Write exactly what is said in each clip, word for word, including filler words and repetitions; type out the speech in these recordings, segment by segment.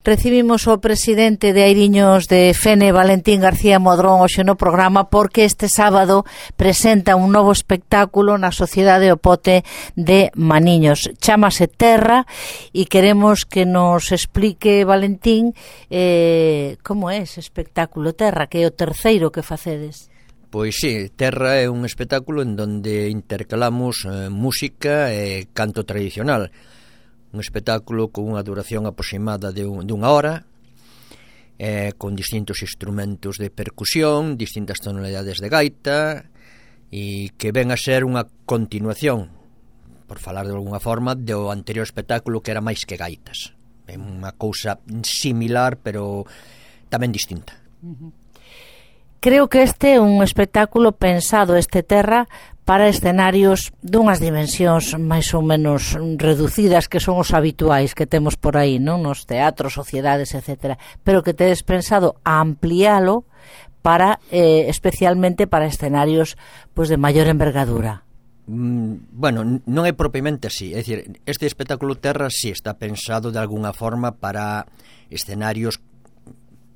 Recibimos o presidente de Airiños de Fene, Valentín García Modrón, hoxe no programa porque este sábado presenta un novo espectáculo na Sociedade O Pote de Maniños. Chámase Terra e queremos que nos explique, Valentín, eh, como é ese espectáculo Terra, que é o terceiro que facedes. Pois sí, Terra é un espectáculo en donde intercalamos eh, música e canto tradicional. Un espectáculo con unha duración aproximada de, un, de unha hora, eh, con distintos instrumentos de percusión, distintas tonalidades de gaita, e que ven a ser unha continuación, por falar de alguna forma, do anterior espectáculo que era máis que gaitas. É unha cousa similar, pero tamén distinta. Uh-huh. Creo que este é un espectáculo pensado, este Terra, para escenarios dunhas dimensións máis ou menos reducidas que son os habituais que temos por aí, non? Nos teatros, sociedades, etcétera, pero que tedes pensado a ampliálo para, eh, especialmente para escenarios pois, de maior envergadura. Mm, bueno, non é propiamente así, é dicir, este espectáculo Terra sí está pensado de alguna forma para escenarios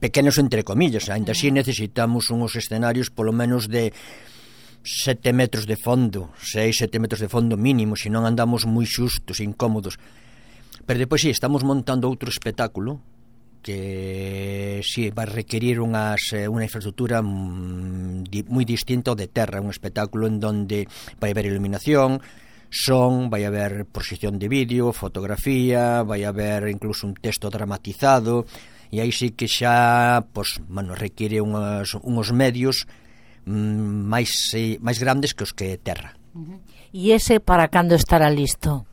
pequenos entre comillas, ainda así necesitamos uns escenarios polo menos de sete metros de fondo, seis, sete metros de fondo mínimo, se non andamos moi xustos, incómodos. Pero depois sí, estamos montando outro espectáculo que sí, vai requerir unhas, unha infraestructura moi distinta ao de Terra, un espectáculo en donde vai haber iluminación, son, vai haber proxección de vídeo, fotografía, vai haber incluso un texto dramatizado, e aí sí que xa, pois, bueno, require unhas, uns medios máis eh, máis grandes que os que Terra. Uh-huh. E ese para cando estará listo?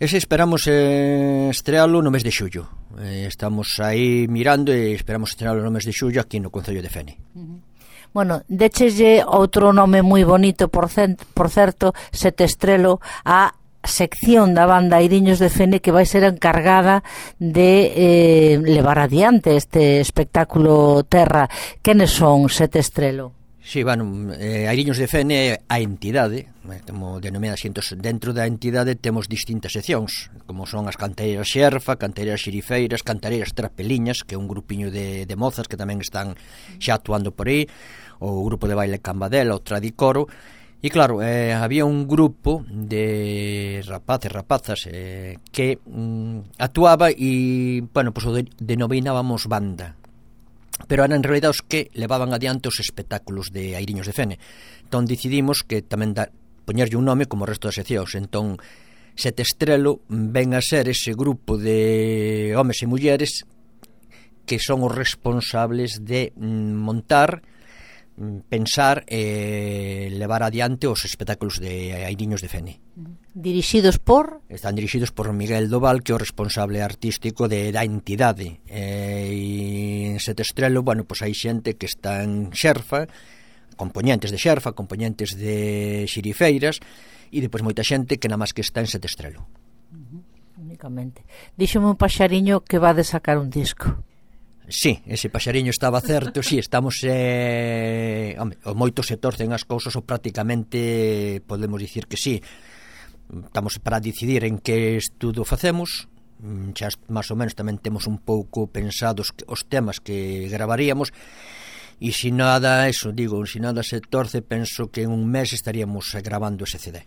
Ese esperamos eh, estrealo no mes de xullo. Eh, estamos aí mirando e esperamos estrealo no mes de xullo aquí no Concello de Fene. Uh-huh. Bueno, déchelle outro nome moi bonito, por, cent, por certo, Sete Estrelo, a sección da banda Airiños de Fene que vai ser encargada de eh, levar adiante este espectáculo Terra. Quenes son Sete Estrelo? Sí, bueno, eh, Airiños de Fene é a entidade, como denomina xentos, dentro da entidade temos distintas seccións, como son as canteiras xerfa, canteiras xerifeiras, canteiras trapeliñas, que é un grupiño de, de mozas que tamén están xa actuando por aí, o grupo de baile Cambadela, o Tradicoro, e claro, eh, había un grupo de rapaces, rapazas, eh, que mm, actuaba e, bueno, pues o de, denominábamos banda. Pero eran en realidad os que levaban adiante os espectáculos de Airiños de Fene. Entón decidimos que tamén da, poñerlle un nome como o resto das seccións. Entón Sete Estrelo ven a ser ese grupo de homes e mulleres que son os responsables de mm, montar, mm, pensar e levar adiante os espectáculos de Airiños de Fene. Dirixidos por? Están dirixidos por Miguel Doval, que é o responsable artístico de, da entidade. E en Sete Estrelo, bueno, pois hai xente que está en xerfa, componentes de xerfa, componentes de xirifeiras, e depois moita xente que nada máis que está en Sete Estrelo. Uh-huh. Únicamente. Díxome un paxariño que va de sacar un disco. Sí, ese paxariño estaba certo, sí, estamos eh, home, o moito se torcen as cousas ou prácticamente podemos dicir que sí. Estamos para decidir en que estudo facemos, xa máis ou menos tamén temos un pouco pensados os temas que gravaríamos, e se nada, eso digo, se nada se torce, penso que en un mes estaríamos gravando ese C D.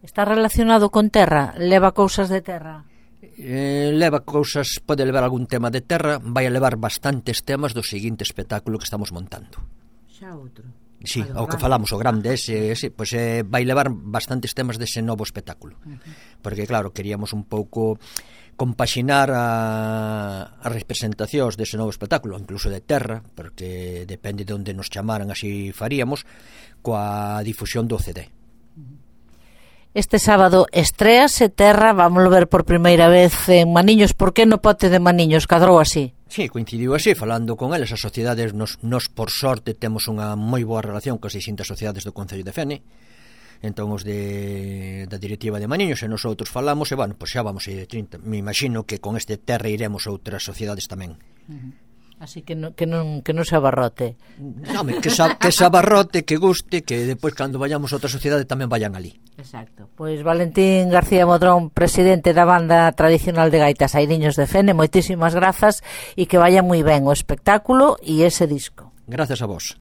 Está relacionado con Terra? Leva cousas de Terra? Eh, leva cousas, pode levar algún tema de Terra, vai a levar bastantes temas do seguinte espectáculo que estamos montando. Xa outro. Sí, ao que falamos, o grande ese, ese pois eh, vai levar bastantes temas dese novo espectáculo. Uh-huh. Porque claro, queríamos un pouco compaxinar a, a representacións dese novo espectáculo, incluso de Terra, porque depende de onde nos chamaran, así faríamos, coa difusión do C D. Este sábado estréase Terra, vamos ver por primeira vez en Maniños. Por que no Pote de Maniños? Cadrou así? Sí, coincidiu así, falando con eles. As sociedades, nos, nos por sorte, temos unha moi boa relación con as distintas sociedades do Concello de Fene. Entón, os de, da directiva de Maniños e nosotros falamos, e, bueno, pois xa vamos a trinta. Me imagino que con este Terra iremos a outras sociedades tamén. Uh-huh. Así que, no, que, non, que non se abarrote. Non, que, sa, que se abarrote, que guste, que depois, cando vayamos a outra sociedade, tamén vayan ali. Exacto. Pois Valentín García Modrón, presidente da banda tradicional de gaitas Airiños de Fene, moitísimas grazas e que vaya moi ben o espectáculo e ese disco. Grazas a vos.